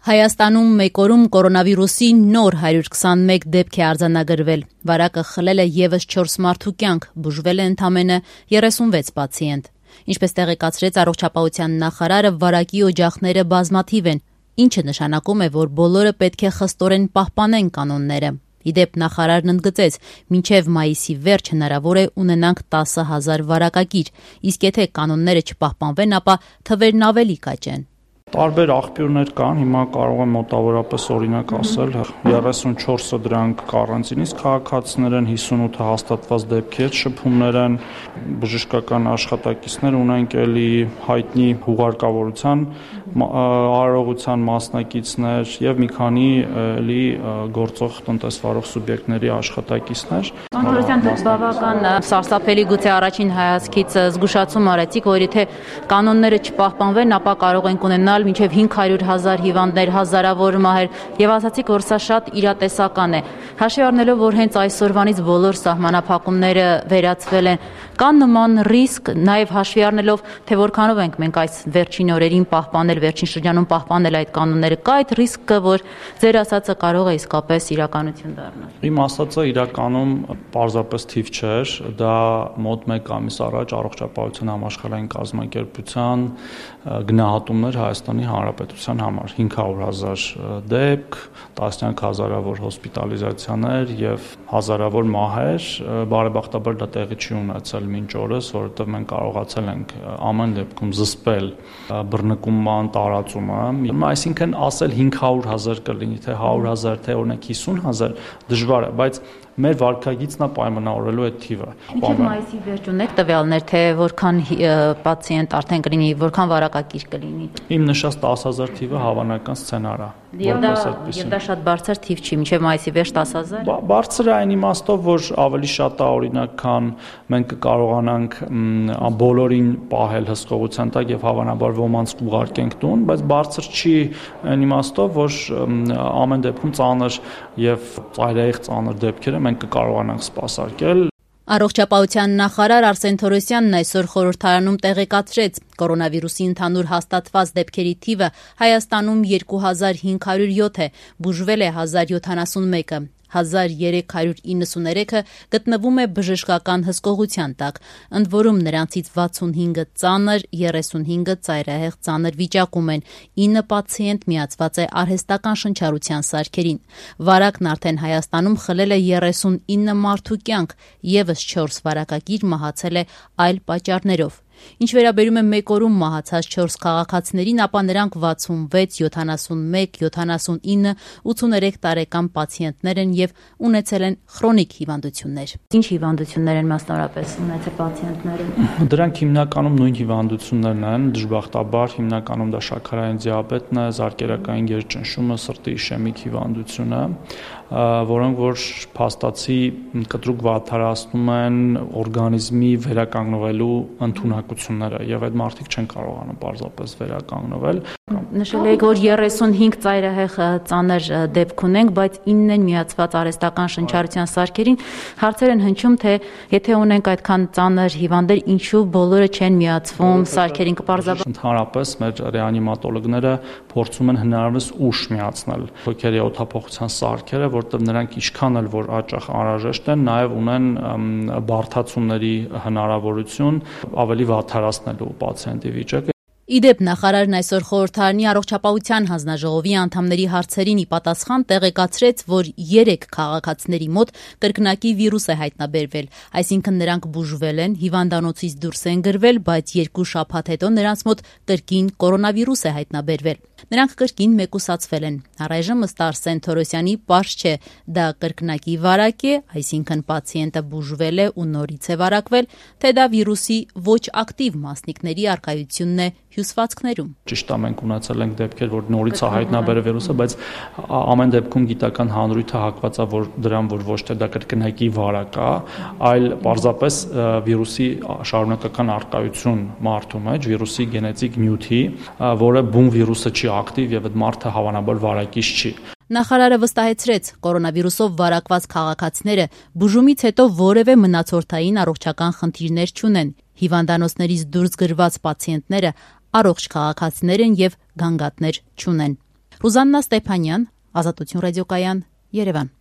Հայաստանում մեկ օրում կորոնավիրուսի նոր 121 դեպք է արձանագրվել։ Վարակը խլել է ևս 4 մարդու կյանք, բուժվել է ընդամենը 36 պացիենտ։ Ինչպես տեղեկացրեց առողջապահության նախարարը, վարակի օջախները բազմաթիվ են, ինչը նշանակում է, որ բոլորը պետք է խստորեն պահպանեն կանոնները։ Իդեպ նախարարն ընդգծեց, մինչև մայիսի վերջ հնարավոր է ունենանք 10,000 վարակագիր, իսկ եթե կանոնները չպահպանվեն, ապա թվերն ավելի կաճեն։ Տարբեր աղբյուրներ կան, հիմա կարող եմ մոտավորապես օրինակ ասել, 34-ը դրանք կարանտինից քաղաքացիներ են, 58-ը հաստատված դեպքեր, շփումներ են, բժշկական աշխատակիցներ ունենք, էլի հայտնի հուղարկավորության արարողության մասնակիցներ եւ մի քանի էլի գործող տնտեսվարող սուբյեկտների աշխատակիցներ։ Կանոնության դուք բավական սարսափելի գուցե առաջին հայացքից զգուշացում արեցիք, որ եթե կանոնները չպահպանվեն, ապա կարող ենք ունենալ մինչև 500,000 հիվանդներ, հազարավոր մահեր եւ ասացիք, որ սա շատ իրատեսական է։ Հաշվի առնելով, որ հենց այսօրվանից բոլոր սահմանափակումները վերացվել են, կան նման ռիսկ, նաեւ հաշվի առնելով, թե որքանով ենք մենք այս վերջին օրերին պահպանել, վերջին շրջանում պահպանել այդ կանոնները, կա այդ ռիսկը, որ ձեր ասածը կարող է իսկապես իրականություն դառնալ։ Իմ ասածը իրականում պարզապես թիվ չէր, դա մոտ 1 ամիս առաջ առողջապահության համաշխարհային կազմակերպության գնահատումներ Հայաստանի Հանրապետության համար 500,000 դեպք, տասնյակ հազարավոր հոսպիտալիզացիաներ եւ հազարավոր մահեր, բարեբախտաբար դա տեղի չի ունեցել մինչ օրս, որովհետեւ մենք կարողացել ենք ամեն դեպքում զսպել բռնկումման տարածումը, այսինքն ասել 500,000 կլինի, թե 100,000, թե օրինակ 50,000 դժվար է, բայց մեր վարկագիծն է պայմանավորելու այդ թիվը։ Ինչու՞ մայիսի վերջ ունեք տվյալներ, թե որքան պացիենտ արդեն կլինի, որքան վարակագիր կլինի։ Իմ նշած 10,000 թիվը հավանական սցենար է։ Եվ դա շատ բարձր թիվ չի, մինչև մայիսի վերջ 10,000։ Բարձր է այն իմաստով, որ ավելի շատ է օրինակ, քան մենք կկարողանանք բոլորին պահել հսկողության տակ եւ հավանաբար ոմանց ուղարկենք տուն, բայց բարձր չի այն իմաստով, որ ամեն դեպքում ծանր եւ ծայրահեղ ծանր դեպքերը մենք կկարողանանք սպասարկել։ Առողջապահության նախարար Արսեն Թորոսյանն այսօր խորհրդարանում տեղեկացրեց, կորոնավիրուսի ընդհանուր հաստատված դեպքերի թիվը Հայաստանում 2507 է, բուժվել է 1071-ը, 1393-ը գտնվում է բժշկական հսկողության տակ, ընդ որում նրանցից 65-ը ծանր, 35-ը ծայրահեղ ծանր վիճակում են, 9 պացիենտ միացված է արհեստական շնչառության սարքերին։ Վարակն արդեն Հայաստանում խլել է 39 մարդու կյանք, ևս 4 վարակագիր մահացել է այլ պատճառներով։ Ինչ վերաբերում է մեկ օրում մահացած 4 քաղաքացիներին, ապա նրանք 66, 71, 79, 83 տարեկան պացիենտներ են եւ ունեցել են քրոնիկ հիվանդություններ։ Ինչ հիվանդություններ են մասնավորապես ունեցել պացիենտները։ Դրանք հիմնականում նույն հիվանդություններն են, դժբախտաբար հիմնականում դա շաքարային դիաբետն է, զարկերակային գերճնշումը, սրտի իշեմիկ հիվանդությունը, որոնք որ փաստացի կտրուկ վատթարացնում են օրգանիզմի վերականգնվելու ընդունակությունները եւ այդ մարդիկ չեն կարողանում պարզապես վերականգնվել։ Նշել եք, որ 35 ծայրահեղ ծանր դեպք ունենք, բայց 9 են միացված արհեստական շնչառության սարքերին։ Հարցեր են հնչում, թե եթե ունենք այդքան ծանր հիվանդներ, ինչու բոլորը չեն միացվում սարքերին, կպարզաբան։ Ընդհանրապես մեր ռեանիմատոլոգները փորձում են հնարավորինս ուշ միացնել հոգերի օդափոխության սարքերը, որտեղ նրանք ինչքան էլ որ հաճախ անհրաժեշտ են, նաև ունեն բարդացումների հնարավորություն ավելի վատթարացնելու պացիենտի վիճակը։ Իդեպ նախարարն այսօր խորհրդարանի առողջապահության հանձնաժողովի անդամների հարցերին ի պատասխան տեղեկացրեց, որ 3 քաղաքացիների մոտ կրկնակի վիրուս է հայտնաբերվել, այսինքն նրանք բուժվել են, հիվանդանոցից դուրս են գրվել, բայց 2 շաբաթ հետո նրանց մոտ կրկին կորոնավիրուս է հայտնաբերվել։ Նրանք կրկին մեկուսացվել են։ Առայժմ ըստ Արսեն Թորոսյանի պարզ չէ, դա կրկնակի վարակ է, այսինքն պացիենտը բուժվել է ու նորից է վարակվել, թե դա վիրուսի ոչ ակտիվ մասնիկների առկայությունն է հյուսվածքներում։ Ճիշտ է, մենք ունեցել ենք դեպքեր, որ նորից է հայտնաբերել վիրուսը, բայց ամեն դեպքում գիտական հանրույթը հակված է դրան, որ ոչ թե դա կրկնակի վարակ է, այլ պարզապես վիրուսի շարունակական առկայություն մարդու մեջ, վիրուսի գենետիկ նյութի, որը բուն վիրուսը չի ակտիվ եւ այդ մարդը հավանաբար վարակիչ չի։ Նախարարը վստահեցրեց, կորոնավիրուսով վարակված քաղաքացիները բուժումից հետո որևէ մնացորդային առողջական խնդիրներ չունեն։ Հիվանդանոցներից դուրս գրված պացիենտները առողջ քաղաքացիներ են եւ գանգատներ չունեն։ Ռուզաննա Ստեփանյան, Ազատություն ռադիոկայան, Երևան։